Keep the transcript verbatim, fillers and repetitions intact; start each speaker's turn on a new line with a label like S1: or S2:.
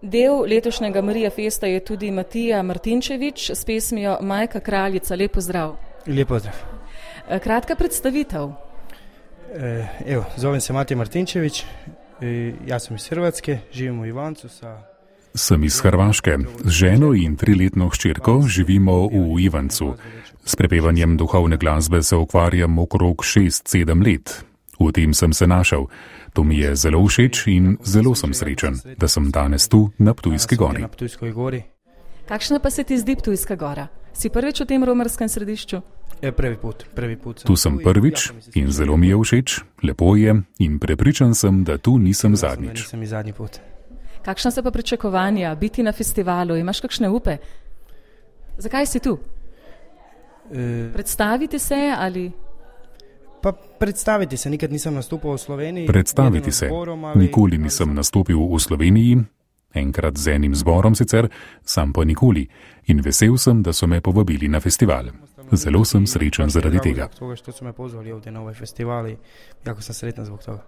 S1: Del letošnjega Marija Festa je tudi Matija Martinčevič s pesmijo Majka kraljica. Lep pozdrav.
S2: Lep pozdrav.
S1: Kratka predstavitev.
S2: E, evo, zovem se Matija Martinčevič, e, ja sam iz Hrvatske, živim u Ivancu sa...
S3: Sem iz Hrvaške. Z ženo in triletno hčerko živimo v Ivancu. S prepevanjem duhovne glasbe se ukvarjam okrog šest sedem let. V tem sem se našel. To mi je zelo všeč in zelo sem srečen, da sem danes tu na Ptujski gori.
S1: Kakšna pa se ti zdi Ptujska gora? Si prvič v tem romarskem središču?
S2: Je prvi put, prvi put.
S3: Tu sem prvič in zelo mi je všeč, lepo je in prepričan sem, da tu nisem zadnjič.
S2: Nisem i zadnji put.
S1: Kakšna so pa pričakovanja biti na festivalu? Imaš kakšne upe? Zakaj si tu?
S2: E...
S1: Predstaviti se ali...
S2: Pa predstaviti se, nikad nisem nastopil v Sloveniji.
S3: Predstaviti se. Nikoli nisem nastopil v Sloveniji, enkrat z enim zborom sicer, sam pa nikoli. In vesel sem, da so me povabili na festival. Zelo sem srečen zaradi tega.
S2: Zbog toga što su me pozvali ovdje na ovaj festival i jako sam sretan zbog toga.